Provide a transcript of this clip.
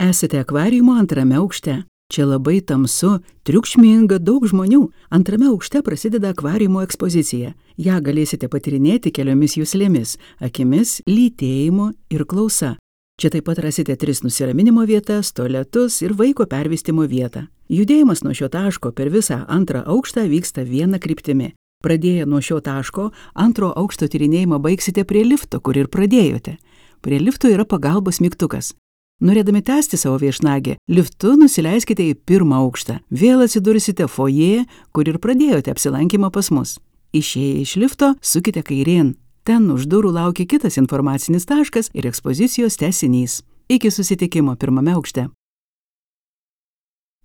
Esate akvariumo antrame aukšte. Čia labai tamsu, triukšminga, daug žmonių. Antrame aukšte prasideda akvariumo ekspozicija. Ja galėsite patyrinėti keliomis juslėmis – akimis, lytėjimu ir klausa. Čia taip pat rasite 3 nusiraminimo vietas, tualetus ir vaiko pervystimo vietą. Judėjimas nuo šio taško per visą antrą aukštą vyksta viena kryptimi. Pradėję nuo šio taško, antro aukšto tyrinėjimą baigsite prie lifto, kur ir pradėjote. Prie lifto yra pagalbos mygtukas. Norėdami tęsti savo viešnagę, liftu nusileiskite į 1 aukštą. Vėl atsidursite foje, kur ir pradėjote apsilankymą pas mus. Išėję iš lifto, sukite kairėn. Ten už durų laukia kitas informacinis taškas ir ekspozicijos tęsinys. Iki susitikimo 1 aukšte.